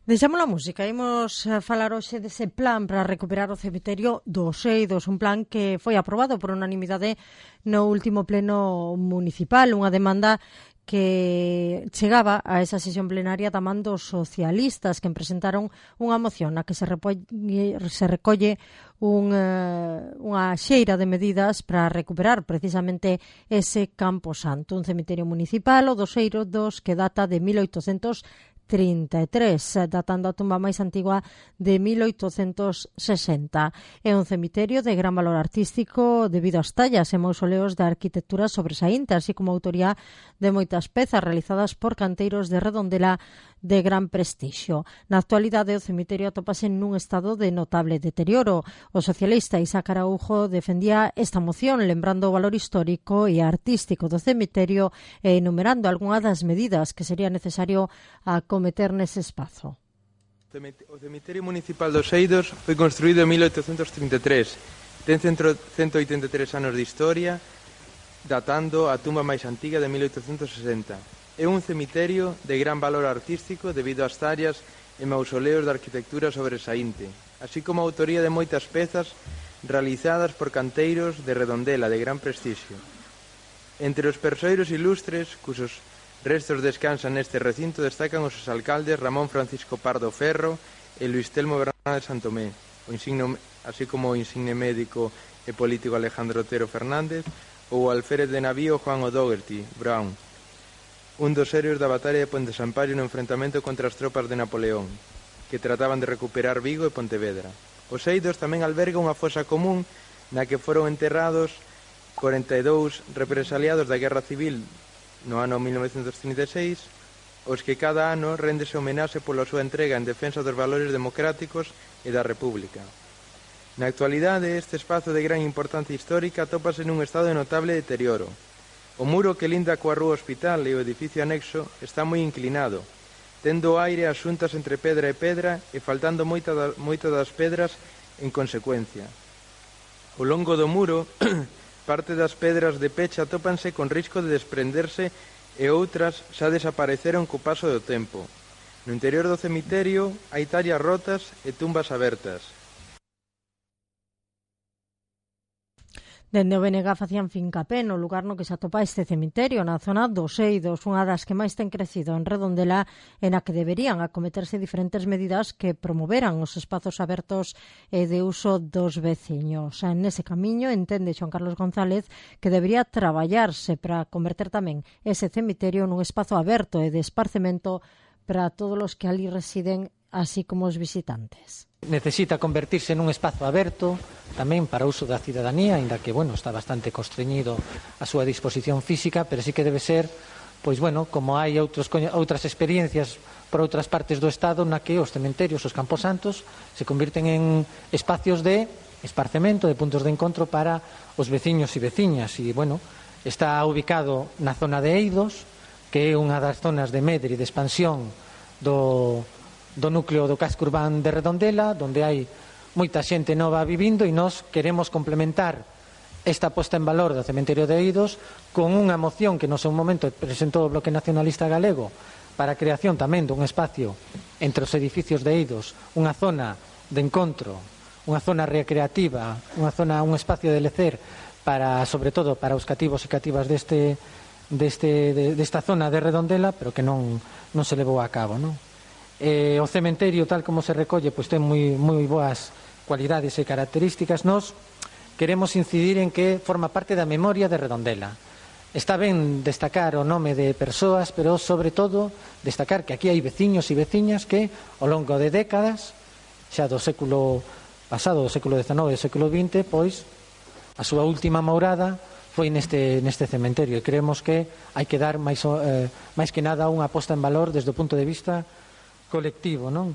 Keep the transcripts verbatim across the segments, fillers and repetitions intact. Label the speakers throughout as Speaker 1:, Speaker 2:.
Speaker 1: Deixamos a música, imos falar hoxe dese plan para recuperar o cemiterio dos Eidos, un plan que foi aprobado por unanimidade no último pleno municipal, unha demanda que chegaba a esa sesión plenaria da man dos socialistas que presentaron unha moción na que se, repolle, se recolle un, uh, unha xeira de medidas para recuperar precisamente ese Campo Santo, un cemiterio municipal, o dos Eidos, que data de mil oitocentos trinta e tres, datando a tumba máis antigua de mil oitocentos sesenta. É un cemiterio de gran valor artístico debido ás tallas e mausoleos da arquitectura sobresaínte, así como a autoría de moitas pezas realizadas por canteiros de Redondela de gran prestixio. Na actualidade, o cemiterio atópase nun estado de notable deterioro. O socialista Isaac Araújo defendía esta moción, lembrando o valor histórico e artístico do cemiterio e enumerando algunhas das medidas que sería necesario acometer nese espazo.
Speaker 2: O cemiterio municipal dos Eidos foi construído en mil oitocentos trinta e tres. Ten cento oitenta e tres anos de historia, datando a tumba máis antiga de mil oitocentos sesenta. É un cemiterio de gran valor artístico debido ás tallas e mausoleos de arquitectura sobresaínte, así como a autoría de moitas pezas realizadas por canteiros de Redondela de gran prestixio. Entre os persoeiros ilustres, cusos restos descansan neste recinto, destacan os alcaldes Ramón Francisco Pardo Ferro e Luis Telmo Bernal de Santomé, o insigno, así como o insigne médico e político Alejandro Otero Fernández ou o alférez de navío Juan O'Doherty Brown, un dos héroes da batalla de Ponte Sampaio no enfrentamento contra as tropas de Napoleón, que trataban de recuperar Vigo e Pontevedra. Os Eidos tamén alberga unha fosa común na que foron enterrados corenta e dous represaliados da Guerra Civil no ano mil novecentos trinta e seis, os que cada ano réndese homenaxe pola súa entrega en defensa dos valores democráticos e da República. Na actualidade, este espazo de gran importancia histórica atópase nun estado de notable deterioro. O muro que linda coa rúa Hospital e o edificio anexo está moi inclinado, tendo o aire as xuntas entre pedra e pedra e faltando moita da, moita das pedras en consecuencia. Ao longo do muro, parte das pedras de pecha atópanse con risco de desprenderse e outras xa desapareceron co paso do tempo. No interior do cemiterio hai tallas rotas e tumbas abertas.
Speaker 1: Dende o B N G facían fincapé no lugar no que se atopa este cemiterio, na zona dos Eidos, unha das que máis ten crecido en Redondela, en a que deberían acometerse diferentes medidas que promoveran os espazos abertos e de uso dos veciños. Nese camiño, entende Xoan Carlos González que debería traballarse para converter tamén ese cemiterio nun espazo aberto e de esparcemento para todos os que ali residen, así como os visitantes.
Speaker 3: Necesita convertirse nun espazo aberto tamén para o uso da cidadanía, aínda que, bueno, está bastante constreñido a súa disposición física, pero sí que debe ser, pois, bueno, como hai outros, outras experiencias por outras partes do Estado na que os cementerios, os camposantos, se convirten en espacios de esparcemento, de puntos de encontro para os veciños e veciñas. E, bueno, está ubicado na zona de Eidos, que é unha das zonas de medre e de expansión do do núcleo do casco urbán de Redondela, onde hai moita xente nova vivindo, e nós queremos complementar esta posta en valor do cementerio de Eidos con unha moción que no seu momento presentou o Bloque Nacionalista Galego para a creación tamén dun espacio entre os edificios de Eidos, unha zona de encontro, unha zona recreativa, unha zona, un espacio de lecer para, sobre todo, para os cativos e cativas deste, deste, de, desta zona de Redondela, pero que non, non se levou a cabo, non? Eh, o cementerio, tal como se recolle, pois ten moi, moi boas cualidades e características. Nos queremos incidir en que forma parte da memoria de Redondela. Está ben destacar o nome de persoas, pero sobre todo destacar que aquí hai veciños e veciñas que ao longo de décadas, xa do século pasado, do século dezenove e do século vinte, pois a súa última morada foi neste, neste cementerio, e creemos que hai que dar máis, eh, máis que nada unha posta en valor desde o punto de vista colectivo, non?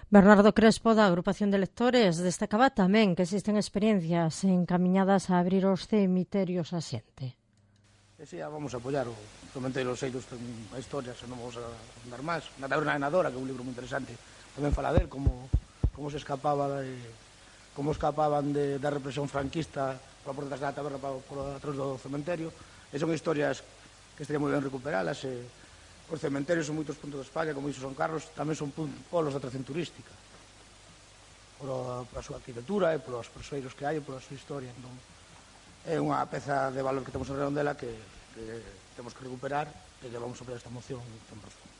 Speaker 1: Bernardo Crespo, da Agrupación de Lectores, destacaba tamén que existen experiencias encamiñadas a abrir os cemiterios a xente.
Speaker 4: E si, vamos a apoiar o cementerio dos Eidos, ten a historia, se non vamos a dar máis. Na taberna de Nadora, que é un libro moi interesante, tamén fala del, como, como se escapaba de, como escapaban de, da represión franquista pola porta da taberna para, por atrás do cementerio. E son historias que estaría moi ben recuperalas, e os cementerios en moitos puntos de España, como dixo Son Carlos, tamén son polos de atracción turística, pola súa arquitectura e polos persoeiros que hai e pola súa historia. Entón, é unha peza de valor que temos en Redondela que, que temos que recuperar e que vamos a apoiar esta moción tan profunda.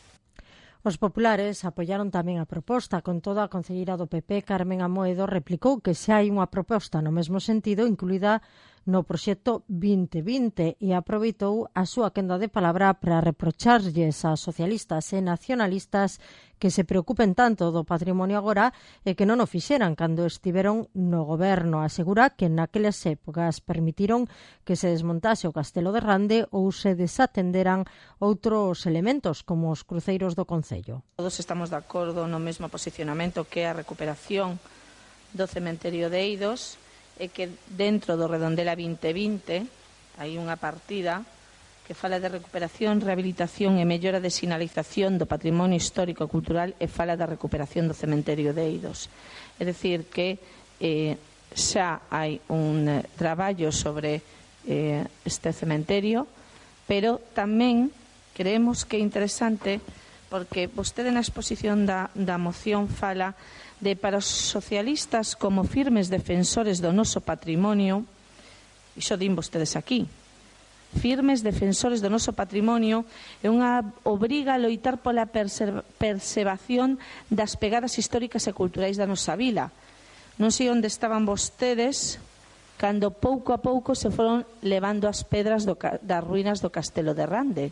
Speaker 1: Os populares apoiaron tamén a proposta. Con todo, a concelleira do P P, Carmen Amoedo, replicou que xa hai unha proposta no mesmo sentido incluída no proxecto vinte vinte e aproveitou a súa quenda de palabra para reprocharlles a socialistas e nacionalistas que se preocupen tanto do patrimonio agora e que non o fixeran cando estiveron no goberno. Asegura que naquelas épocas permitiron que se desmontase o Castelo de Rande ou se desatenderan outros elementos como os cruceiros do Concello.
Speaker 5: Todos estamos de acordo no mesmo posicionamento que a recuperación do cementerio de Eidos e que dentro do Redondela vinte vinte hai unha partida que fala de recuperación, rehabilitación e mellora de sinalización do patrimonio histórico e cultural e fala da recuperación do cementerio de Eidos. É dicir que eh, xa hai un eh, traballo sobre eh, este cementerio, pero tamén creemos que é interesante porque vostede na exposición da, da moción fala de para os socialistas como firmes defensores do noso patrimonio, iso din vostedes aquí, firmes defensores do noso patrimonio é unha obriga a loitar pola preservación das pegadas históricas e culturais da nosa vila. Non sei onde estaban vostedes cando pouco a pouco se foron levando as pedras do, das ruínas do Castelo de Rande.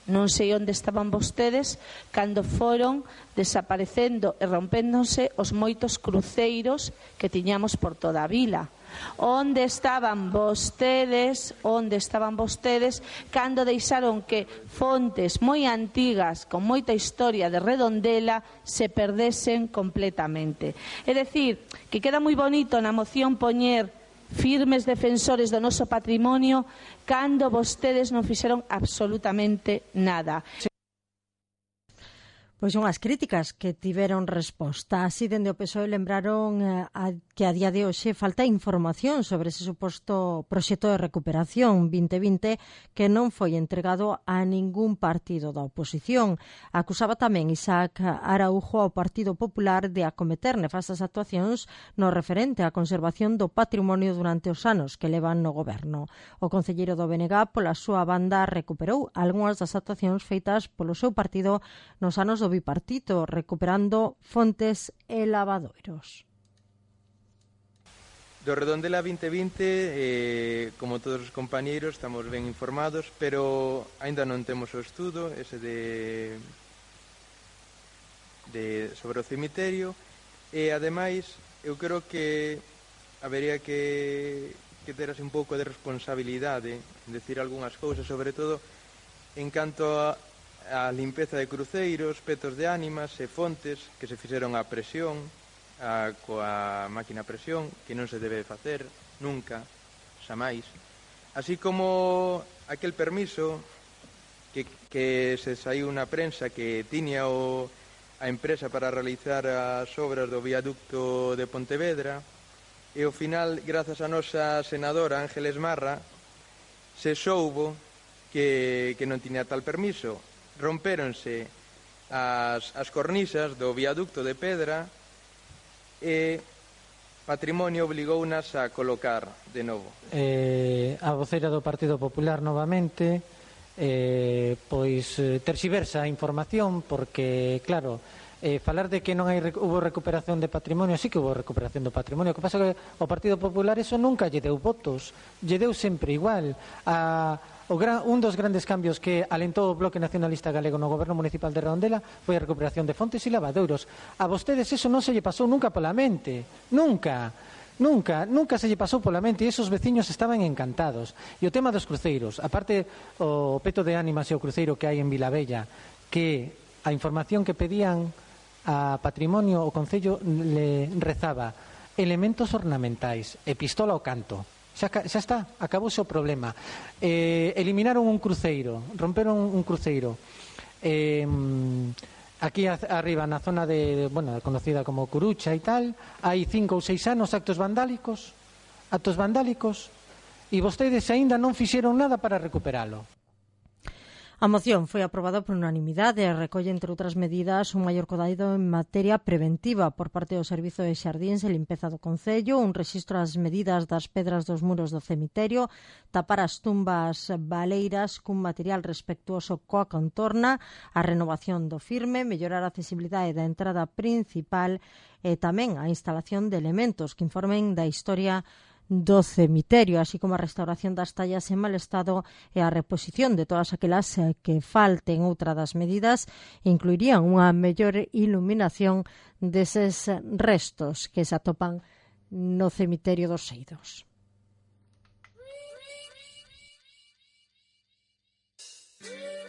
Speaker 5: Non sei onde estaban vostedes cando foron desaparecendo e rompéndose os moitos cruceiros que tiñamos por toda a vila. Onde estaban vostedes, onde estaban vostedes cando deixaron que fontes moi antigas con moita historia de Redondela se perdesen completamente. É dicir, que queda moi bonito na moción poñer firmes defensores do noso patrimonio cando vostedes non fixeron absolutamente nada.
Speaker 1: Pois son as críticas que tiveron resposta. Así, dende o P S O E lembraron eh, a, que a día de hoxe falta información sobre ese suposto proxecto de recuperación vinte vinte que non foi entregado a ningún partido da oposición. Acusaba tamén Isaac Araujo ao Partido Popular de acometer nefastas actuacións no referente á conservación do patrimonio durante os anos que levan no goberno. O concelleiro do B N G, pola súa banda, recuperou algunhas das actuacións feitas polo seu partido nos anos do bipartito, recuperando fontes e lavadoiros.
Speaker 2: Do Redondela vinte vinte, eh, como todos os compañeiros, estamos ben informados, pero aínda non temos o estudo ese de, de sobre o cemiterio, e ademais eu creo que habería que, que ter así un pouco de responsabilidade en decir algunhas cousas, sobre todo en canto a a limpeza de cruceiros, petos de ánimas e fontes que se fixeron a presión, a, coa máquina a presión, que non se debe facer nunca, xa máis. Así como aquel permiso que, que se saiu na prensa que tiña o, a empresa para realizar as obras do viaducto de Pontevedra, e ao final, grazas a nosa senadora Ángeles Marra, se soubo que, que non tiña tal permiso. Rompéronse as, as cornisas do viaducto de pedra e Patrimonio obligounas a colocar de novo.
Speaker 3: Eh, a voceira do Partido Popular novamente eh, pois eh, terxiversa a información porque, claro, eh, falar de que non hai hubo recuperación de patrimonio, sí que hubo recuperación do patrimonio. O que pasa é que o Partido Popular eso nunca lle deu votos, lle deu sempre igual. A O gran, un dos grandes cambios que alentou o Bloque Nacionalista Galego no Goberno Municipal de Redondela foi a recuperación de fontes e lavadoiros. A vostedes eso non se lle pasou nunca pola mente. Nunca. Nunca, nunca se lle pasou pola mente e esos veciños estaban encantados. E o tema dos cruceiros, aparte o peto de ánimas e o cruceiro que hai en Vilavella, que a información que pedían a Patrimonio o Concello le rezaba elementos ornamentais e pistola ao canto. Xa, xa está, acabouse o problema. Eh, eliminaron un cruceiro, romperon un cruceiro. Eh, aquí a, arriba, na zona de, bueno, conocida como Curucha e tal, hai cinco ou seis anos actos vandálicos, actos vandálicos, e vostedes aínda non fixeron nada para recuperalo.
Speaker 1: A moción foi aprobada por unanimidade e recolle, entre outras medidas, un maior cuidado en materia preventiva por parte do Servizo de Xardíns e Limpeza do Concello, un rexistro das medidas das pedras dos muros do cemiterio, tapar as tumbas baleiras cun material respectuoso coa contorna, a renovación do firme, mellorar a accesibilidade da entrada principal e tamén a instalación de elementos que informen da historia do cemiterio, así como a restauración das tallas en mal estado e a reposición de todas aquelas que falten. Outra das medidas incluirían unha mellor iluminación deses restos que se atopan no cemiterio dos Seidos.